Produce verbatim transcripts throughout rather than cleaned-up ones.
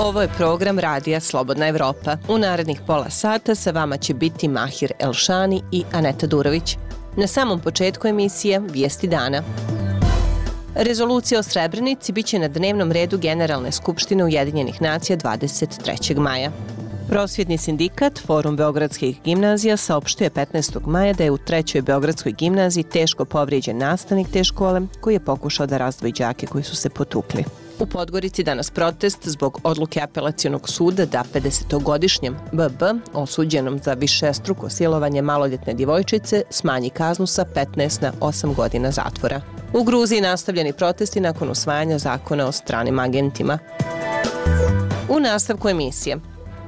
Ovo je program Radija Slobodna Evropa. U narednih pola sata sa vama će biti Mahir Elšani i Aneta Durović. Na samom početku emisije Vijesti dana. Rezolucija o Srebrenici biće na dnevnom redu Generalne skupštine Ujedinjenih nacija dvadeset trećeg maja. Prosvjetni sindikat Forum beogradskih gimnazija saopštio je petnaestog maja da je u trećoj beogradskoj gimnaziji teško povrijeđen nastavnik te škole koji je pokušao da razdvoji đake koji su se potukli. U Podgorici danas protest zbog odluke apelacionog suda da pedesetogodišnjem B B, osuđenom za višestruko silovanje maloljetne djevojčice, smanji kaznu sa petnaest na osam godina zatvora. U Gruziji nastavljeni protesti nakon usvajanja zakona o stranim agentima. U nastavku emisije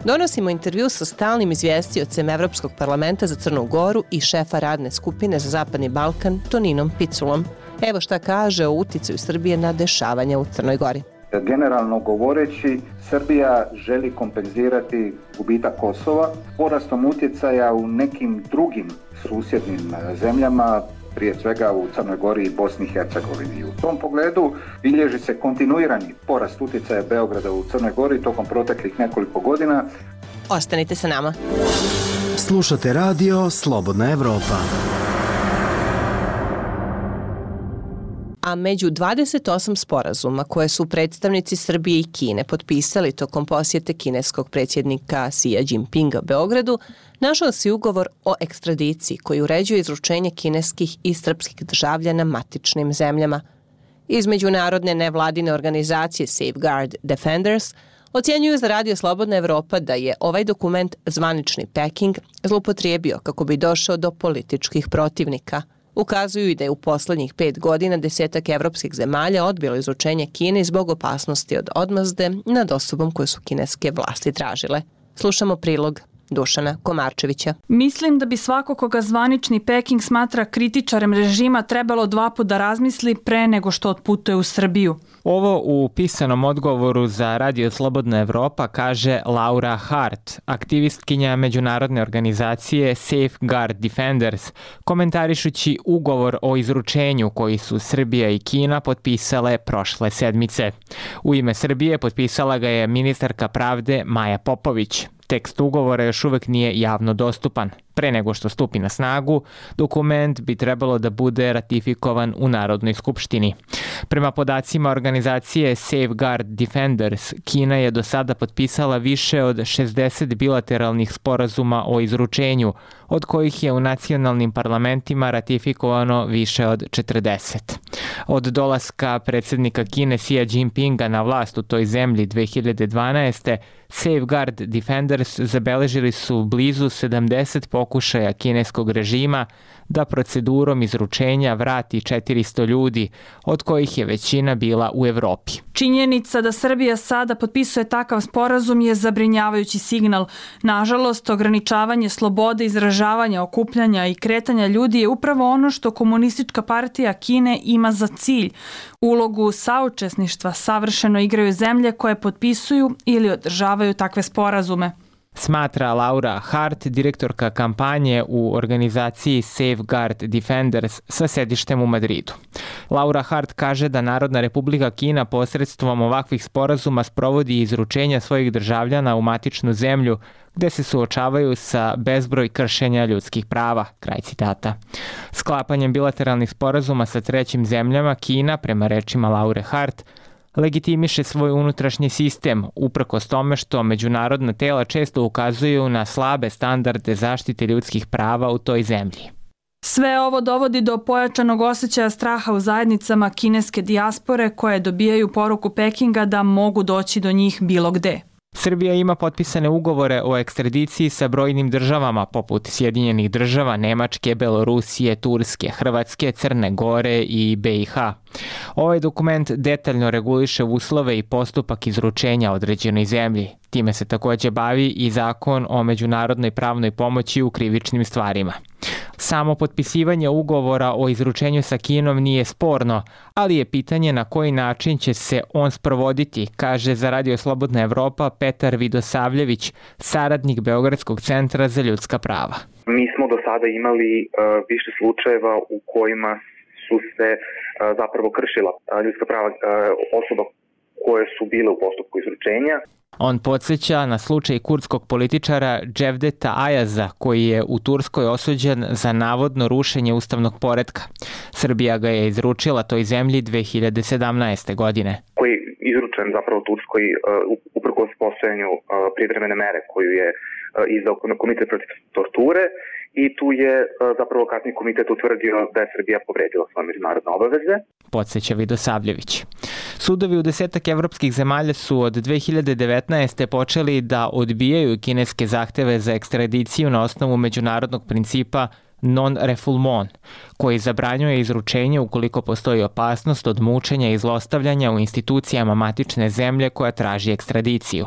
donosimo intervju sa stalnim izvjestiocem Evropskog parlamenta za Crnu Goru i šefa radne skupine za Zapadni Balkan Toninom Piculom. Evo šta kaže o uticaju Srbije na dešavanja u Crnoj Gori. Generalno govoreći, Srbija želi kompenzirati gubitak Kosova porastom utjecaja u nekim drugim susjednim zemljama, prije svega u Crnoj Gori i Bosni i Hercegovini. U tom pogledu bilježi se kontinuirani porast utjecaja Beograda u Crnoj Gori tokom proteklih nekoliko godina. Ostanite sa nama. Slušate radio Slobodna Evropa. A među dvadeset osam sporazuma koje su predstavnici Srbije i Kine potpisali tokom posjete kineskog predsjednika Xi Jinpinga Beogradu, našao se ugovor o ekstradiciji koji uređuje izručenje kineskih i srpskih državljana matičnim zemljama. Iz međunarodne nevladine organizacije Safeguard Defenders ocjenjuju za Radio Slobodna Evropa da je ovaj dokument zvanični Peking zloupotrijebio kako bi došao do političkih protivnika. Ukazuju i da je u poslednjih pet godina desetak evropskih zemalja odbilo izručenje Kine zbog opasnosti od odmazde nad osobom koje su kineske vlasti tražile. Slušamo prilog Dušana Komarčevića. Mislim da bi svako koga zvanični Peking smatra kritičarem režima trebalo dva put da razmisli pre nego što otputuje u Srbiju. Ovo u pisanom odgovoru za Radio Slobodna Evropa kaže Laura Hart, aktivistkinja međunarodne organizacije Safeguard Defenders, komentarišući ugovor o izručenju koji su Srbija i Kina potpisale prošle sedmice. U ime Srbije potpisala ga je ministarka pravde Maja Popović. Tekst ugovora još uvek nije javno dostupan. Pre nego što stupi na snagu, dokument bi trebalo da bude ratifikovan u Narodnoj skupštini. Prema podacima organizacije Safeguard Defenders, Kina je do sada potpisala više od šezdeset bilateralnih sporazuma o izručenju, od kojih je u nacionalnim parlamentima ratifikovano više od četrdeset. Od dolaska predsjednika Kine Xi Jinpinga na vlast u toj zemlji dve hiljade dvanaeste. Safeguard Defenders zabeležili su blizu sedamdeset pokušaja kineskog režima da procedurom izručenja vrati četiristo ljudi, od kojih je većina bila u Evropi. Činjenica da Srbija sada potpisuje takav sporazum je zabrinjavajući signal. Nažalost, ograničavanje slobode izražavanja, okupljanja i kretanja ljudi je upravo ono što Komunistička partija Kine ima za cilj. Ulogu saučesništva savršeno igraju zemlje koje potpisuju ili održavaju takve sporazume. Smatra Laura Hart, direktorka kampanje u organizaciji Safeguard Defenders sa sedištem u Madridu. Laura Hart kaže da Narodna Republika Kina posredstvom ovakvih sporazuma sprovodi izručenja svojih državljana u matičnu zemlju gde se suočavaju sa bezbroj kršenja ljudskih prava. Kraj citata. Sklapanjem bilateralnih sporazuma sa trećim zemljama, Kina, prema rečima Laure Hart, legitimiše svoj unutrašnji sistem, uprkos tome što međunarodna tela često ukazuju na slabe standarde zaštite ljudskih prava u toj zemlji. Sve ovo dovodi do pojačanog osjećaja straha u zajednicama kineske dijaspore koje dobijaju poruku Pekinga da mogu doći do njih bilo gde. Srbija ima potpisane ugovore o ekstradiciji sa brojnim državama poput Sjedinjenih država, Nemačke, Belorusije, Turske, Hrvatske, Crne Gore i B i H. Ovaj dokument detaljno reguliše uslove i postupak izručenja određenoj zemlji. Time se također bavi i zakon o međunarodnoj pravnoj pomoći u krivičnim stvarima. Samo potpisivanje ugovora o izručenju sa Kinom nije sporno, ali je pitanje na koji način će se on sprovoditi, kaže za Radio Slobodna Evropa Petar Vidosavljević, saradnik Beogradskog centra za ljudska prava. Mi smo do sada imali uh, više slučajeva u kojima su se uh, zapravo kršila uh, ljudska prava uh, osoba koje su bile u postupku izručenja. On podsjeća na slučaj kurdskog političara Cevdeta Ayaza, koji je u Turskoj osuđen za navodno rušenje ustavnog poretka. Srbija ga je izručila toj zemlji dve hiljade sedamnaeste. godine. Koji je izručen zapravo Turskoj uh, uprkos postojanju uh, privremene mere koju je uh, izdao Komitet protiv torture, i tu je uh, zapravo kasniji komitet utvrdio da je Srbija povredila svoje međunarodne obaveze. Podsjeća Vidosavljević. Sudovi u desetak evropskih zemalja su od dve hiljade devetnaeste. počeli da odbijaju kineske zahteve za ekstradiciju na osnovu međunarodnog principa non-refoulement, koji zabranjuje izručenje ukoliko postoji opasnost od mučenja i zlostavljanja u institucijama matične zemlje koja traži ekstradiciju.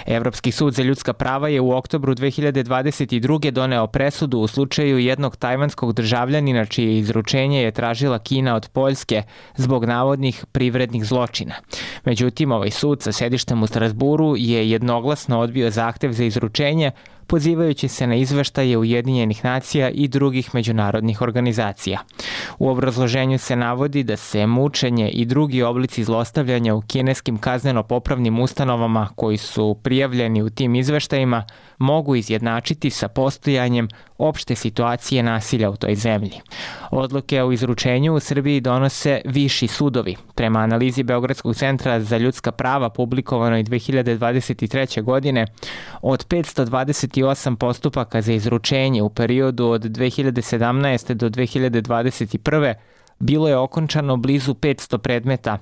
Evropski sud za ljudska prava je u oktobru dve hiljade dvadeset druge. doneo presudu u slučaju jednog tajvanskog državljanina čije izručenje je tražila Kina od Poljske zbog navodnih privrednih zločina. Međutim, ovaj sud sa sedištem u Strasburu je jednoglasno odbio zahtev za izručenje, pozivajući se na izveštaje Ujedinjenih nacija i drugih međunarodnih organizacija. U obrazloženju se navodi da se mučenje i drugi oblici zlostavljanja u kineskim kazneno-popravnim ustanovama koji su prijavljeni u tim izveštajima mogu izjednačiti sa postojanjem opšte situacije nasilja u toj zemlji. Odluke o izručenju u Srbiji donose viši sudovi. Prema analizi Beogradskog centra za ljudska prava publikovanoj dve hiljade dvadeset treće. godine, od petsto dvadeset osam postupaka za izručenje u periodu od dve hiljade sedamnaeste. do dve hiljade dvadeset prve. bilo je okončano blizu petsto predmeta,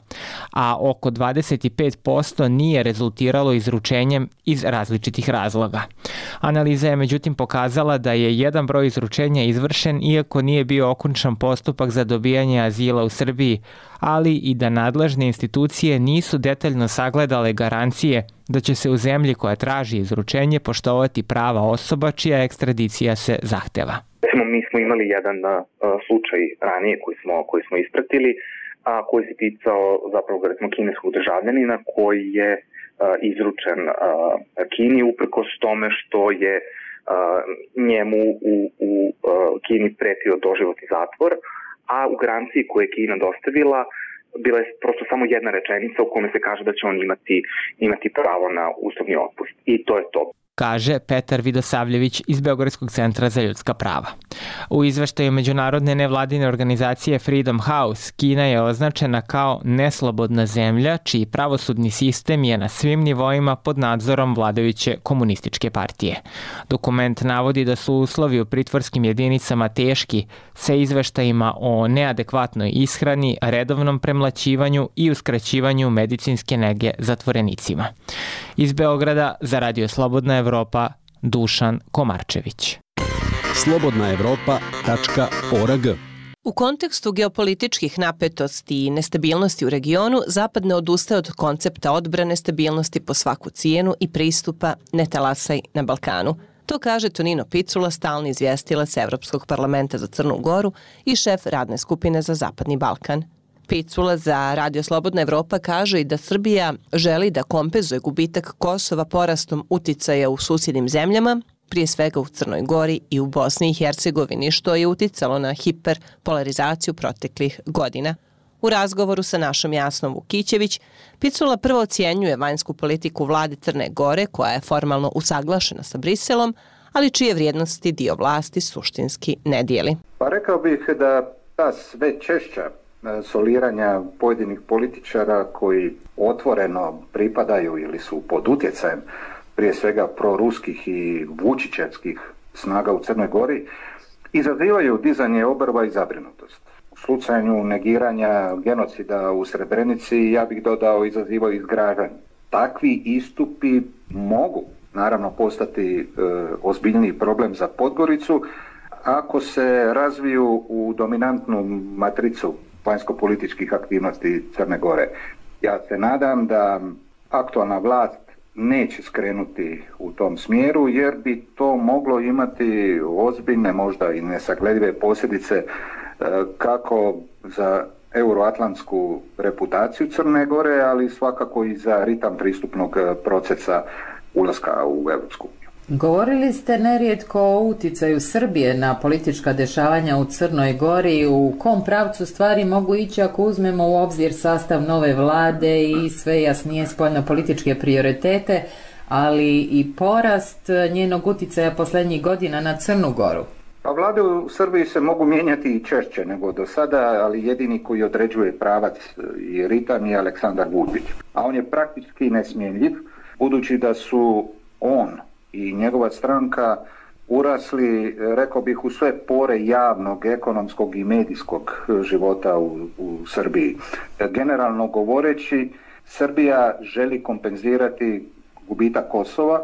a oko dvadeset pet posto nije rezultiralo izručenjem iz različitih razloga. Analiza je međutim pokazala da je jedan broj izručenja izvršen iako nije bio okončan postupak za dobijanje azila u Srbiji, ali i da nadležne institucije nisu detaljno sagledale garancije da će se u zemlji koja traži izručenje poštovati prava osoba čija ekstradicija se zahteva. Mi smo imali jedan uh, slučaj ranije koji smo, koji smo ispratili, a koji se ticao zapravo recimo kineskog državljanina koji je uh, izručen uh, Kini uprkos tome što je uh, njemu u, u uh, Kini pretio doživotni zatvor, a u garanciji koju je Kina dostavila bila je prosto samo jedna rečenica u kome se kaže da će on imati, imati pravo na uslovni otpust. I to je to. Kaže Petar Vidosavljević iz Beogradskog centra za ljudska prava. U izveštaju međunarodne nevladine organizacije Freedom House, Kina je označena kao neslobodna zemlja čiji pravosudni sistem je na svim nivoima pod nadzorom vladajuće komunističke partije. Dokument navodi da su uslovi u pritvorskim jedinicama teški, sa izveštajima o neadekvatnoj ishrani, redovnom premlaćivanju i uskraćivanju medicinske nege zatvorenicima. Iz Beograda za Radio Slobodna Evropa, Dušan Komarčević. slobodna evropa tačka org. U kontekstu geopolitičkih napetosti i nestabilnosti u regionu, Zapad ne odustaje od koncepta odbrane stabilnosti po svaku cijenu i pristupa ne talasaj na Balkanu. To kaže Tonino Picula, stalni izvjestilac Evropskog parlamenta za Crnu Goru i šef radne skupine za Zapadni Balkan. Picula za Radio Slobodna Evropa kaže i da Srbija želi da kompenzuje gubitak Kosova porastom uticaja u susjednim zemljama, prije svega u Crnoj Gori i u Bosni i Hercegovini, što je uticalo na hiperpolarizaciju proteklih godina. U razgovoru sa našom Jasnom Vukićević, Picula prvo ocjenjuje vanjsku politiku vlade Crne Gore, koja je formalno usaglašena sa Briselom, ali čije vrijednosti dio vlasti suštinski ne dijeli. Pa rekao bih da ta sve češća soliranja pojedinih političara koji otvoreno pripadaju ili su pod utjecajem prije svega proruskih i vučićevskih snaga u Crnoj Gori izazivaju dizanje obrva i zabrinutost. U slučaju negiranja genocida u Srebrenici, ja bih dodao, izazivaju izgražanje. Takvi istupi mogu naravno postati e, ozbiljniji problem za Podgoricu ako se razviju u dominantnu matricu vanjsko-političkih aktivnosti Crne Gore. Ja se nadam da aktualna vlast neće skrenuti u tom smjeru, jer bi to moglo imati ozbiljne, možda i nesagledive posljedice kako za euroatlantsku reputaciju Crne Gore, ali svakako i za ritam pristupnog procesa ulaska u Europsku uniju. Govorili ste nerijetko o uticaju Srbije na politička dešavanja u Crnoj Gori. U kom pravcu stvari mogu ići ako uzmemo u obzir sastav nove vlade i sve jasnije spoljno-političke prioritete, ali i porast njenog uticaja posljednjih godina na Crnu Goru? Pa vlade u Srbiji se mogu mijenjati i češće nego do sada, ali jedini koji određuje pravac i ritam je Aleksandar Vučić. A on je praktički nesmjenjiv, budući da su on i njegova stranka urasli, rekao bih, u sve pore javnog, ekonomskog i medijskog života u, u Srbiji. Generalno govoreći, Srbija želi kompenzirati gubitak Kosova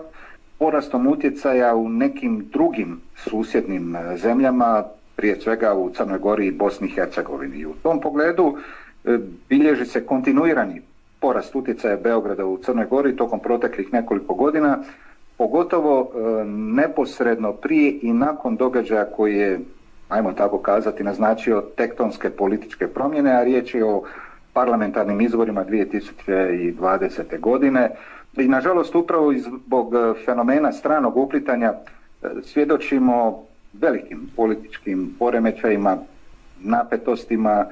porastom utjecaja u nekim drugim susjednim zemljama, prije svega u Crnoj Gori i Bosni i Hercegovini. U tom pogledu bilježi se kontinuirani porast utjecaja Beograda u Crnoj Gori tokom proteklih nekoliko godina, pogotovo neposredno prije i nakon događaja koji je, ajmo tako kazati, naznačio tektonske političke promjene, a riječ je o parlamentarnim izborima dvije tisuće dvadesete. godine. I nažalost upravo zbog fenomena stranog uplitanja svjedočimo velikim političkim poremećajima, napetostima,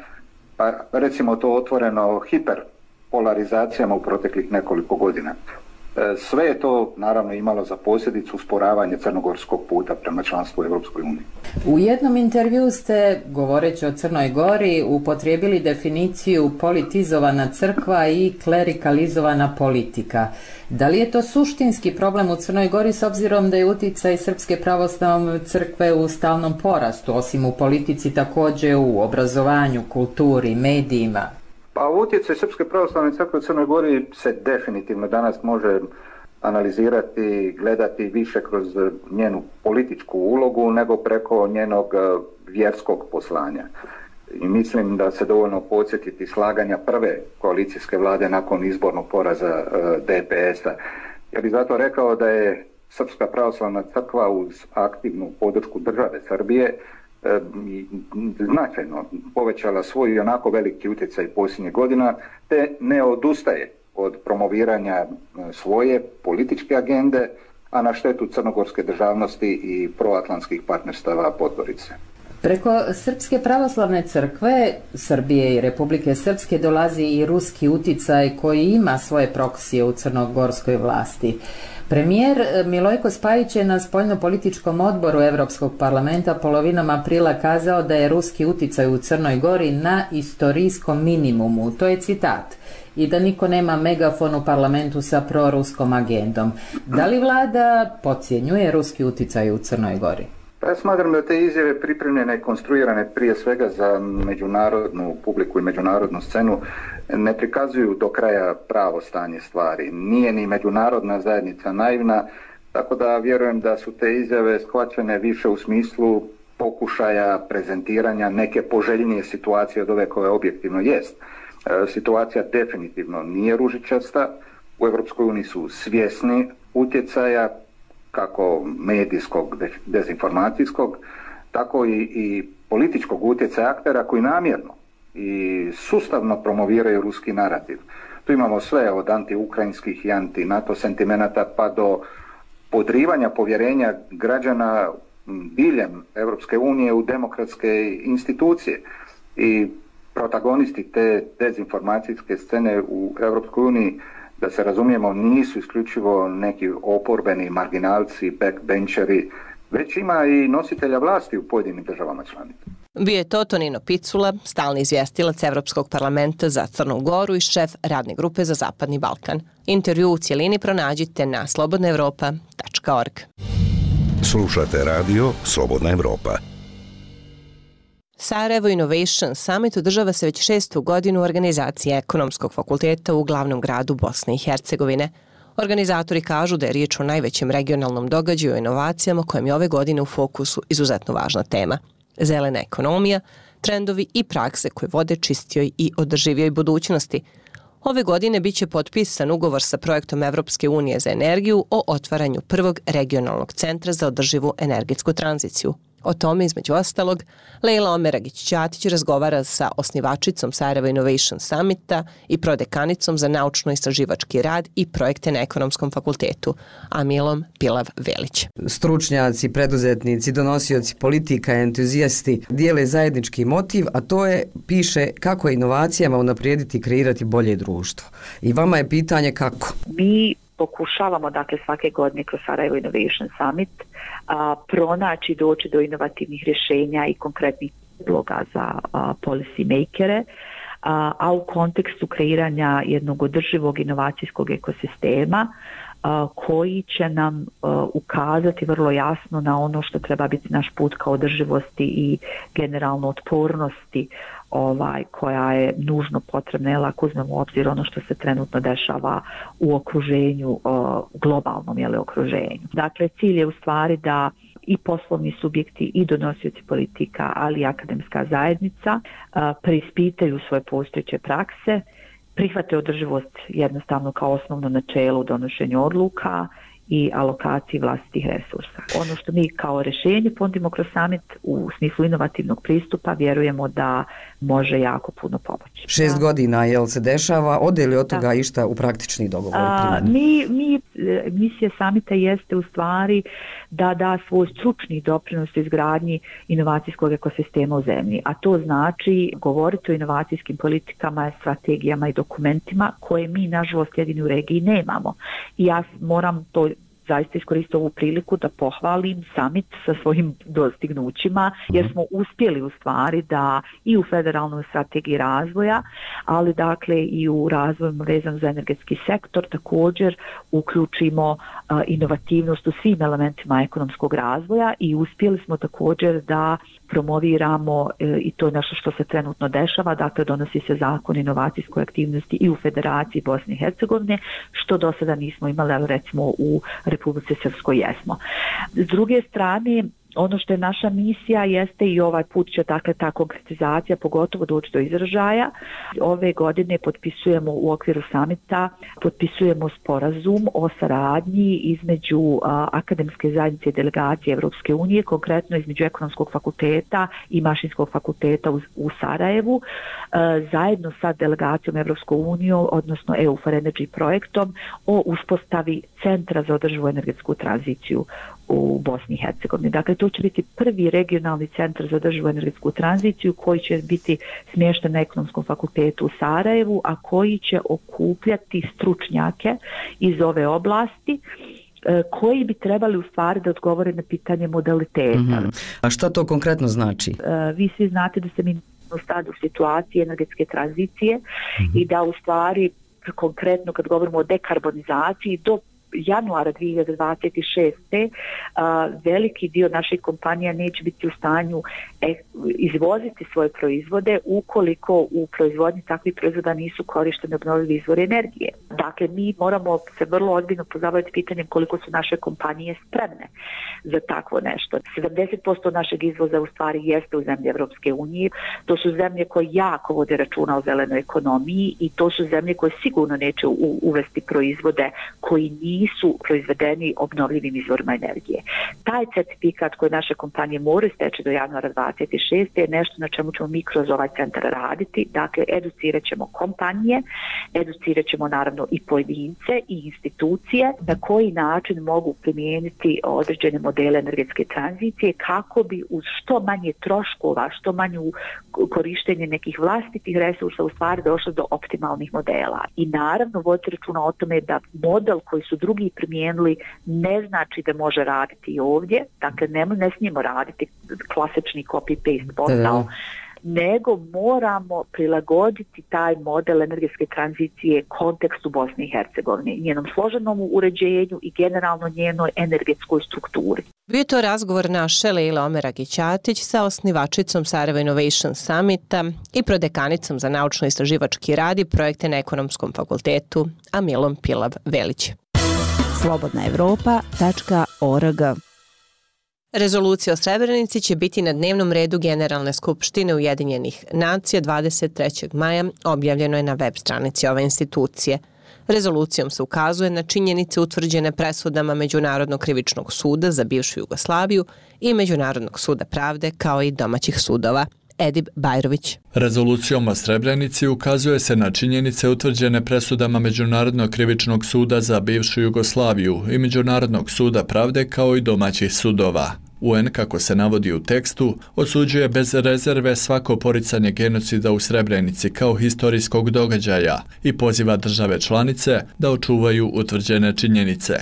pa recimo to otvoreno hiperpolarizacijama u proteklih nekoliko godina. Sve je to naravno imalo za posljedicu usporavanje crnogorskog puta prema članstvu u Europskoj uniji. U jednom intervju ste, govoreći o Crnoj Gori, upotrijebili definiciju politizovana crkva i klerikalizovana politika. Da li je to suštinski problem u Crnoj Gori s obzirom da je utjecaj Srpske pravoslavne crkve u stalnom porastu, osim u politici također u obrazovanju, kulturi, medijima? Pa utjecaj Srpske pravoslavne crkve u Crnoj Gori se definitivno danas može analizirati, gledati više kroz njenu političku ulogu nego preko njenog vjerskog poslanja. I mislim da se dovoljno podsjetiti slaganja prve koalicijske vlade nakon izbornog poraza D P S-a. Ja bih zato rekao da je Srpska pravoslavna crkva uz aktivnu podršku države Srbije značajno povećala svoj i onako veliki utjecaj posljednjih godina, te ne odustaje od promoviranja svoje političke agende, a na štetu crnogorske državnosti i proatlantskih partnerstava Podgorice. Preko Srpske pravoslavne crkve Srbije i Republike Srpske dolazi i ruski uticaj koji ima svoje proksije u crnogorskoj vlasti. Premijer Milojko Spajić je na spoljnopolitičkom odboru Europskog parlamenta polovinom aprila kazao da je ruski uticaj u Crnoj Gori na istorijskom minimumu, to je citat, i da niko nema megafon u parlamentu sa proruskom agendom. Da li vlada podcjenjuje ruski uticaj u Crnoj Gori? Pa ja smatram da te izjave pripremljene i konstruirane prije svega za međunarodnu publiku i međunarodnu scenu ne prikazuju do kraja pravo stanje stvari. Nije ni međunarodna zajednica naivna, tako da vjerujem da su te izjave shvaćene više u smislu pokušaja prezentiranja neke poželjnije situacije od ove koja objektivno jest. Situacija definitivno nije ružičasta, u Europskoj uniji su svjesni utjecaja kako medijskog, dezinformacijskog, tako i, i političkog utjecaja aktera koji namjerno i sustavno promoviraju ruski narativ. Tu imamo sve od anti-ukrajinskih i anti-NATO sentimenata pa do podrivanja povjerenja građana diljem Europske unije u demokratske institucije. I protagonisti te dezinformacijske scene u Europskoj uniji, da se razumijemo, nisu isključivo neki oporbeni marginalci, backbencheri, već ima i nositelja vlasti u pojedinim državama članicama. Bio je to Tonino Picula, stalni izvjestilac Evropskog parlamenta za Crnu Goru i šef radne grupe za Zapadni Balkan. Intervju u cijelini pronađite na slobodna evropa tačka org. Slušate radio Slobodna Evropa. Sarajevo Innovation Summit održava se već šestu godinu u organizaciji Ekonomskog fakulteta u glavnom gradu Bosne i Hercegovine. Organizatori kažu da je riječ o najvećem regionalnom događaju o inovacijama kojem je ove godine u fokusu izuzetno važna tema. Zelena ekonomija, trendovi i prakse koje vode čistijoj i održivijoj budućnosti. Ove godine biće potpisan ugovor sa projektom Evropske unije za energiju o otvaranju prvog regionalnog centra za održivu energetsku tranziciju. O tome, između ostalog, Lejla Omeragić-Ćatić razgovara sa osnivačicom Sarajevo Innovation Summita i prodekanicom za naučno-istraživački rad i projekte na Ekonomskom fakultetu, Amilom Pilav-Velić. Stručnjaci, preduzetnici, donosioci politika, entuzijasti dijele zajednički motiv, a to je, piše, kako inovacijama unaprijediti i kreirati bolje društvo. I vama je pitanje kako? Mi pokušavamo, dakle, svake godine kroz Sarajevo Innovation Summit a, pronaći, doći do inovativnih rješenja i konkretnih prijedloga za a, policy makere, a, a u kontekstu kreiranja jednog održivog inovacijskog ekosistema a, koji će nam a, ukazati vrlo jasno na ono što treba biti naš put ka održivosti i generalno otpornosti ovaj, koja je nužno potrebna, jel, ako uzmemo u obzir ono što se trenutno dešava u okruženju, uh, globalnom, jel, okruženju. Dakle, cilj je u stvari da i poslovni subjekti i donosioci politika, ali i akademska zajednica uh, preispitaju svoje postojeće prakse, prihvate održivost jednostavno kao osnovno načelo u donošenju odluka i alokaciji vlastitih resursa. Ono što mi kao rješenje ponudimo kroz summit u smislu inovativnog pristupa vjerujemo da može jako puno pomoći. Šest da. godina, jel se dešava, ode li od toga da. išta u praktični dogovor? A, mi, mi, misija summita jeste u stvari da da svoj stručni doprinos u izgradnji inovacijskog ekosistema u zemlji, a to znači govoriti o inovacijskim politikama, strategijama i dokumentima koje mi, nažalost, jedini u regiji nemamo. I ja moram to zaista iskoristiti ovu priliku da pohvalim summit sa svojim dostignućima, jer smo uspjeli u stvari da i u federalnoj strategiji razvoja, ali dakle i u razvoju vezan za energetski sektor također uključimo uh, inovativnost u svim elementima ekonomskog razvoja i uspjeli smo također da promoviramo, e, i to je nešto što se trenutno dešava, dakle donosi se zakon inovacijskoj aktivnosti i u Federaciji Bosne i Hercegovine, što do sada nismo imali, ali recimo u Republici Srpskoj jesmo. S druge strane, ono što je naša misija jeste i ovaj put će dakle ta konkretizacija pogotovo doći do izražaja. Ove godine potpisujemo u okviru samita, potpisujemo sporazum o saradnji između a, akademske zajednice i delegacije Evropske unije, konkretno između Ekonomskog fakulteta i Mašinskog fakulteta u, u Sarajevu, a, zajedno sa delegacijom Evropske unije, odnosno E U for Energy projektom o uspostavi Centra za održivu energetsku tranziciju u Bosni i Hercegovini. Dakle, to će biti prvi regionalni centar za održivu energetsku tranziciju koji će biti smješten na Ekonomskom fakultetu u Sarajevu, a koji će okupljati stručnjake iz ove oblasti koji bi trebali u stvari da odgovore na pitanje modaliteta. Mm-hmm. A šta to konkretno znači? Vi svi znate da se mi sad u situaciji energetske tranzicije mm-hmm. i da u stvari konkretno kad govorimo o dekarbonizaciji do januara dvije hiljade dvadeset šeste. A, veliki dio naših kompanija neće biti u stanju e, izvoziti svoje proizvode ukoliko u proizvodnji takvih proizvoda nisu korišteni obnovljivi izvori energije. Dakle, mi moramo se vrlo ozbiljno pozabaviti pitanjem koliko su naše kompanije spremne za takvo nešto. sedamdeset posto našeg izvoza u stvari jeste u zemlje Evropske unije. To su zemlje koje jako vode računa o zelenoj ekonomiji i to su zemlje koje sigurno neće u, uvesti proizvode koji nisu proizvedeni obnovljivim izvorima energije. Taj certifikat koji naše kompanije moraju steći do januara dvadeset šeste je nešto na čemu ćemo mi kroz ovaj centar raditi. Dakle, educirat ćemo kompanije, educirat ćemo naravno i pojedince i institucije na koji način mogu primijeniti određene modele energetske tranzicije kako bi uz što manje troškova, što manju korištenje nekih vlastitih resursa u stvari došlo do optimalnih modela. I naravno voditi računa o tome da model koji su drugi primijenili ne znači da može raditi i ovdje, dakle ne, ne smijemo raditi klasični copy-paste posao, nego moramo prilagoditi taj model energetske tranzicije kontekstu Bosne i Hercegovine, njenom složenom uređenju i generalno njenoj energetskoj strukturi. Bio to razgovor naše Leila Omeragić-Ćatić sa osnivačicom Sarajevo Innovation Summita i prodekanicom za naučno-istraživački rad i projekte na Ekonomskom fakultetu Amilom Pilav-Velić. slobodna evropa tačka org. Rezolucija o Srebrenici će biti na dnevnom redu Generalne skupštine Ujedinjenih nacija dvadeset trećeg maja, objavljeno je na web stranici ove institucije. Rezolucijom se ukazuje na činjenice utvrđene presudama Međunarodnog krivičnog suda za bivšu Jugoslaviju i Međunarodnog suda pravde kao i domaćih sudova. Edip Bajrović. Rezolucijom o Srebrenici ukazuje se na činjenice utvrđene presudama Međunarodnog krivičnog suda za bivšu Jugoslaviju i Međunarodnog suda pravde kao i domaćih sudova. U N, kako se navodi u tekstu, osuđuje bez rezerve svako poricanje genocida u Srebrenici kao historijskog događaja i poziva države članice da očuvaju utvrđene činjenice.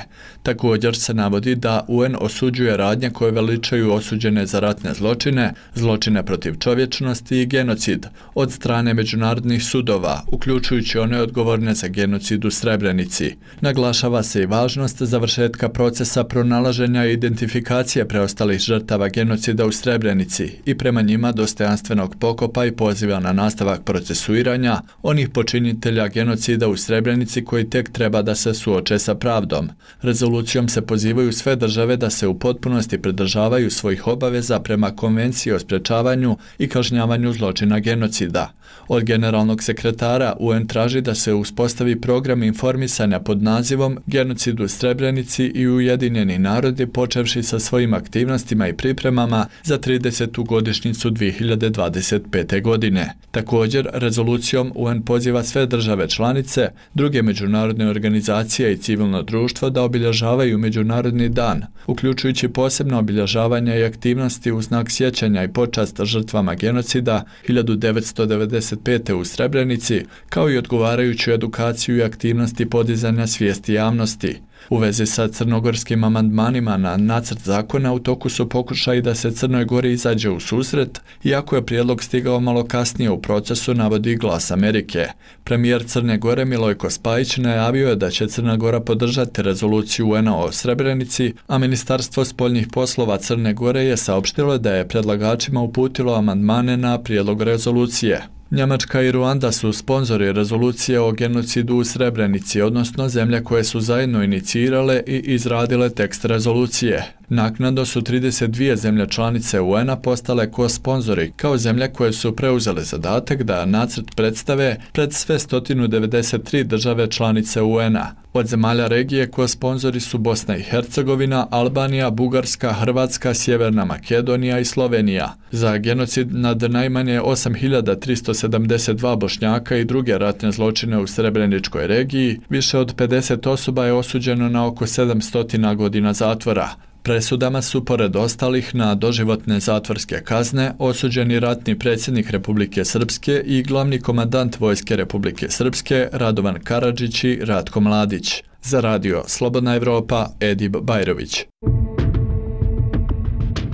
Također se navodi da U N osuđuje radnje koje veličaju osuđene za ratne zločine, zločine protiv čovječnosti i genocid od strane međunarodnih sudova, uključujući one odgovorne za genocid u Srebrenici. Naglašava se i važnost završetka procesa pronalaženja i identifikacije preostalih žrtava genocida u Srebrenici i prema njima dostojanstvenog pokopa i poziva na nastavak procesuiranja onih počinitelja genocida u Srebrenici koji tek treba da se suoče sa pravdom. Rezolucijom se pozivaju sve države da se u potpunosti pridržavaju svojih obaveza prema Konvenciji o sprečavanju i kažnjavanju zločina genocida. Od generalnog sekretara U N traži da se uspostavi program informisanja pod nazivom Genocid u Srebrenici i Ujedinjeni narodi, počevši sa svojim aktivnostima i pripremama za tridesetu godišnjicu dvije hiljade dvadeset pete. godine. Također, rezolucijom U N poziva sve države članice, druge međunarodne organizacije i civilno društvo da obilježavaju Međunarodni dan, uključujući posebno obilježavanje i aktivnosti u znak sjećanja i počast žrtvama genocida hiljadu devetsto devedeset pete. u Srebrenici, kao i odgovarajuću edukaciju i aktivnosti podizanja svijesti javnosti. U vezi sa crnogorskim amandmanima na nacrt zakona u toku su pokušaji da se Crnoj Gori izađe u susret, iako je prijedlog stigao malo kasnije u procesu, navodi Glas Amerike. Premijer Crne Gore Milojko Spajić najavio je da će Crna Gora podržati rezoluciju U N-a o Srebrenici, a Ministarstvo spoljnih poslova Crne Gore je saopštilo da je predlagačima uputilo amandmane na prijedlog rezolucije. Njemačka i Ruanda su sponzori rezolucije o genocidu u Srebrenici, odnosno zemlje koje su zajedno inicirale i izradile tekst rezolucije. Naknadno su trideset dvije zemlje članice U N-a postale ko-sponzori, kao zemlje koje su preuzele zadatak da nacrt predstave pred sve sto devedeset tri države članice U N-a. Od zemalja regije ko-sponzori su Bosna i Hercegovina, Albanija, Bugarska, Hrvatska, Sjeverna Makedonija i Slovenija. Za genocid nad najmanje osam hiljada tristo sedamdeset dva Bošnjaka i druge ratne zločine u Srebreničkoj regiji, više od pedeset osoba je osuđeno na oko sedamsto godina zatvora. Presudama su, pored ostalih, na doživotne zatvorske kazne osuđeni ratni predsjednik Republike Srpske i glavni komandant Vojske Republike Srpske Radovan Karadžić i Ratko Mladić. Za radio Slobodna Evropa, Edib Bajrović.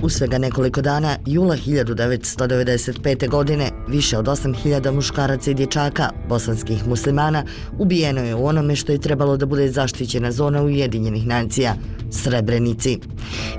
U svega nekoliko dana, jula hiljadu devetsto devedeset pete. godine, više od osam hiljada muškaraca i dječaka, bosanskih muslimana, ubijeno je u onome što je trebalo da bude zaštićena zona Ujedinjenih nacija, Srebrenici.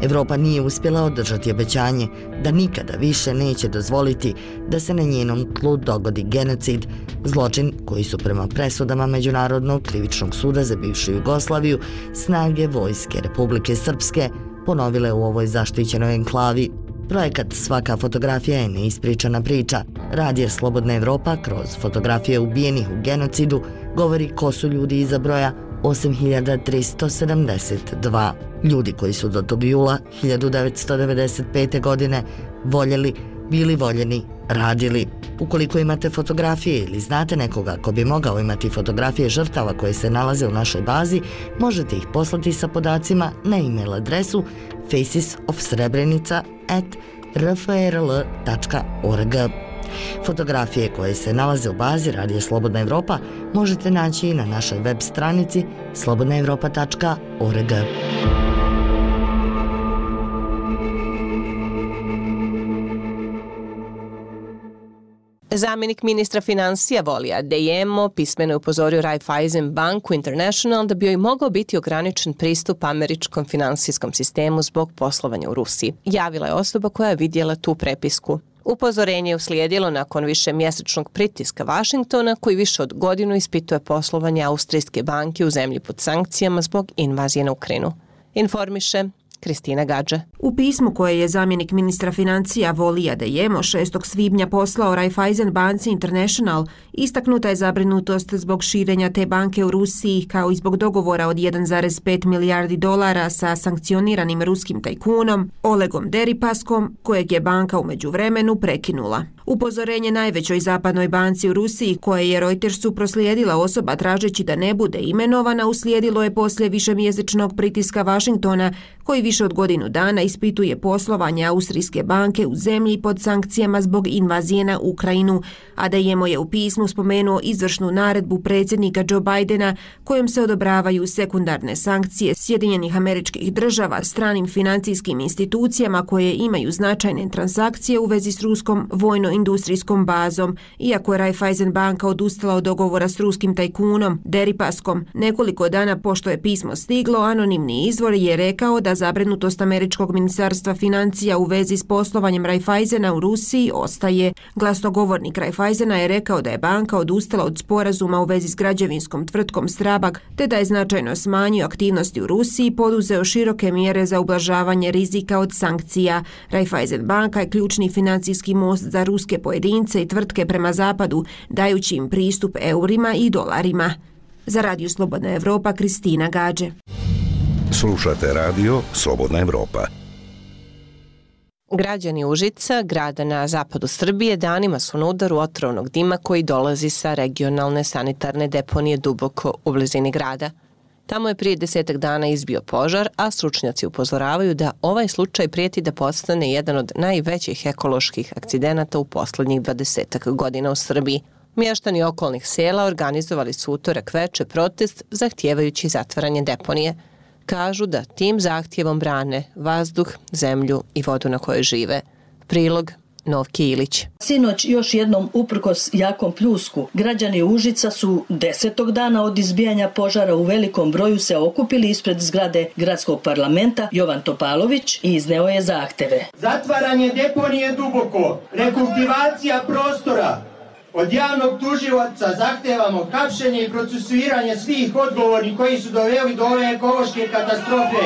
Evropa nije uspjela održati obećanje da nikada više neće dozvoliti da se na njenom tlu dogodi genocid, zločin koji su prema presudama Međunarodnog krivičnog suda za bivšu Jugoslaviju snage Vojske Republike Srpske ponovile u ovoj zaštićenoj enklavi. Projekat Svaka fotografija je neispričana priča. Radio Slobodna Evropa kroz fotografije ubijenih u genocidu govori ko su ljudi iza broja osam hiljada tristo sedamdeset dva. Ljudi koji su do tog jula hiljadu devetsto devedeset pete. godine voljeli, bili voljeni, radili. Ukoliko imate fotografije ili znate nekoga ko bi mogao imati fotografije žrtava koje se nalaze u našoj bazi, možete ih poslati sa podacima na e-mail adresu faces of srebrenica at r f r l dot org. Fotografije koje se nalaze u bazi Radija Slobodna Evropa možete naći i na našoj web stranici slobodna evropa dot org. Zamjenik ministra financija Volija Dejemo pismeno je upozorio Raiffeisen banku International da bi joj mogao biti ograničen pristup američkom finansijskom sistemu zbog poslovanja u Rusiji. Javila je osoba koja je vidjela tu prepisku. Upozorenje je uslijedilo nakon više mjesečnog pritiska Vašingtona, koji više od godinu ispituje poslovanje austrijske banke u zemlji pod sankcijama zbog invazije na Ukrajinu. Informiše Kristina Gadže. U pismu koje je zamjenik ministra financija Volija Dejemo šestog svibnja poslao Raiffeisen banci International, istaknuta je zabrinutost zbog širenja te banke u Rusiji kao i zbog dogovora od jedan zarez pet milijardi dolara sa sankcioniranim ruskim tajkunom Olegom Deripaskom, kojeg je banka u međuvremenu prekinula. Upozorenje najvećoj zapadnoj banci u Rusiji, koje je Reutersu proslijedila osoba tražeći da ne bude imenovana, uslijedilo je poslije višemjesečnog pritiska Vašingtona, koji više od godinu dana ispituje poslovanje austrijske banke u zemlji pod sankcijama zbog invazije na Ukrajinu. Adeyemo je u pismu spomenuo izvršnu naredbu predsjednika Joe Bidena kojom se odobravaju sekundarne sankcije Sjedinjenih Američkih Država stranim financijskim institucijama koje imaju značajne transakcije u vezi s ruskom vojno-industrijskom bazom, iako je Raiffeisen banka odustala od dogovora s ruskim tajkunom Deripaskom. Nekoliko dana pošto je pismo stiglo, anonimni izvor je rekao da zabrinutost Američkog ministarstva financija u vezi s poslovanjem Raiffeisena u Rusiji ostaje. Glasnogovornik Raiffeisena je rekao da je banka odustala od sporazuma u vezi s građevinskom tvrtkom Strabag, te da je značajno smanjio aktivnosti u Rusiji i poduzeo široke mjere za ublažavanje rizika od sankcija. Raiffeisen banka je ključni financijski most za ruske pojedince i tvrtke prema zapadu, dajući im pristup eurima i dolarima. Za Radio Slobodna Evropa, Kristina Gađe. Slušate radio Slobodna Evropa. Građani Užica, grada na zapadu Srbije, danima su na udaru otrovnog dima koji dolazi sa regionalne sanitarne deponije duboko u blizini grada. Tamo je prije desetak dana izbio požar, a stručnjaci upozoravaju da ovaj slučaj prijeti da postane jedan od najvećih ekoloških akcidenata u poslednjih dvadesetak godina u Srbiji. Mještani okolnih sela organizovali su utorak veče protest zahtijevajući zatvaranje deponije. Kažu da tim zahtjevom brane vazduh, zemlju i vodu na kojoj žive. Prilog Novki Ilić. Sinoć još jednom uprkos jakom pljusku, građani Užica su desetog dana od izbijanja požara u velikom broju se okupili ispred zgrade gradskog parlamenta. Jovan Topalović izneo je zahteve. Zatvaranje deponije Duboko, rekultivacija prostora. Od javnog tužilaca zahtevamo hapšenje i procesuiranje svih odgovornih koji su doveli do ove ekološke katastrofe.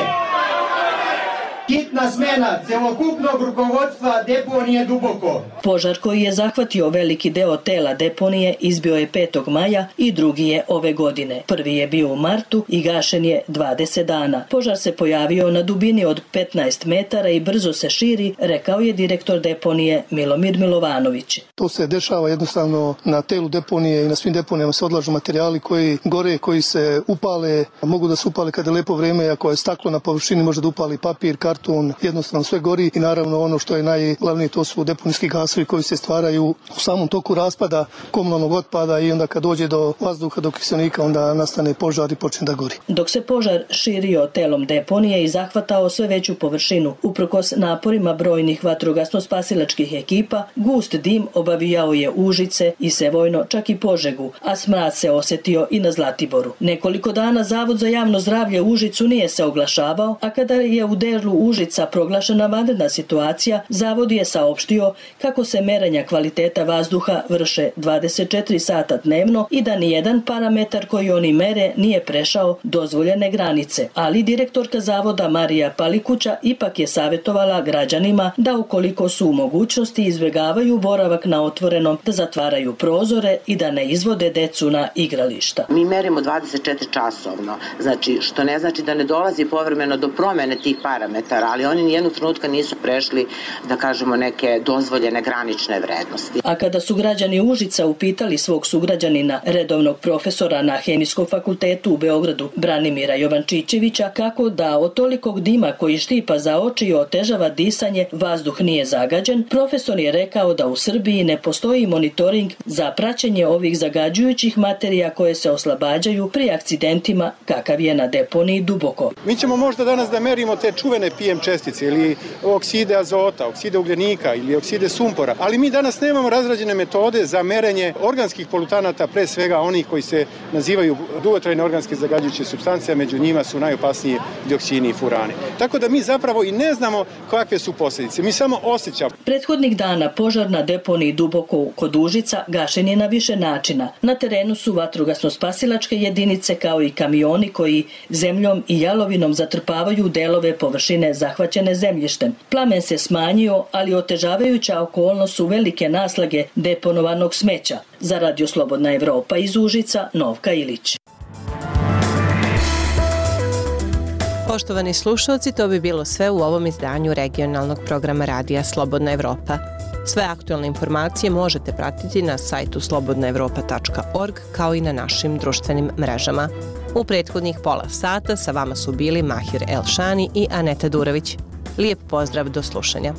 Hitna smena celokupnog rukovodstva deponije Duboko. Požar koji je zahvatio veliki deo tela deponije izbio je petog maja i drugi je ove godine. Prvi je bio u martu i gašen je dvadeset dana. Požar se pojavio na dubini od petnaest metara i brzo se širi, rekao je direktor deponije Milomir Milovanović. To se dešava jednostavno na telu deponije i na svim deponijama se odlažu materijali koji gore, koji se upale, mogu da se upale kada je lepo vreme, ako je staklo na površini može da upali papir, karton, jednostavno sve gori i naravno ono što je najglavnije to su deponijski gasovi koji se stvaraju u samom toku raspada komunalnog otpada i onda kad dođe do vazduha, do kiselnika, onda nastane požar i počne da gori. Dok se požar širio telom deponije i zahvatao sve veću površinu, uprkos naporima brojnih vatrogasno-spasilačkih ekipa, gust dim obavijao je Užice i Sevojno, čak i Požegu, a smrad se osjetio i na Zlatiboru. Nekoliko dana Zavod za javno zdravlje Užicu nije se oglašavao, a kada je u delu Užica proglašena vanredna situacija, Zavod je saopštio kako se merenja kvaliteta vazduha vrše dvadeset četiri sata dnevno i da nijedan parametar koji oni mere nije prešao dozvoljene granice. Ali direktorka Zavoda Marija Palikuća ipak je savjetovala građanima da ukoliko su u mogućnosti izbjegavaju boravak na otvorenom, da zatvaraju prozore i da ne izvode decu na igrališta. Mi merimo dvadeset četiri časovno, znači što ne znači da ne dolazi povremeno do promjene tih parametara, ali oni nijednog trenutka nisu prešli, da kažemo, neke dozvoljene granične vrednosti. A kada su građani Užica upitali svog sugrađanina, redovnog profesora na Hemijskom fakultetu u Beogradu, Branimira Jovančićevića, kako da od tolikog dima koji štipa za oči i otežava disanje, vazduh nije zagađen, profesor je rekao da u Srbiji ne postoji monitoring za praćenje ovih zagađujućih materija koje se oslobađaju pri akcidentima kakav je na deponiji Duboko. Mi ćemo možda danas da merimo te čuvene P M čestice ili okside azota, okside ugljenika ili okside sumpora, ali mi danas nemamo razrađene metode za merenje organskih polutanata, pre svega onih koji se nazivaju dugotrajne organske zagađujuće supstance, a među njima su najopasniji dioksini i furani. Tako da mi zapravo i ne znamo kakve su posljedice, mi samo osjećamo. Prethodnih dana požar na deponiji Duboko kod Užica gašen je na više načina. Na terenu su vatrogasno-spasilačke jedinice kao i kamioni koji zemljom i jalovinom zatrpavaju delove površine zahvaćene zemljištem. Plamen se smanjio, ali otežavajuća okolnost su velike naslage deponovanog smeća. Za Radio Slobodna Evropa iz Užica, Novka Ilić. Poštovani slušalci, to bi bilo sve u ovom izdanju regionalnog programa Radija Slobodna Evropa. Sve aktualne informacije možete pratiti na sajtu slobodna evropa tačka org kao i na našim društvenim mrežama. U prethodnih pola sata sa vama su bili Mahir Elšani i Aneta Durović. Lijep pozdrav, do slušanja.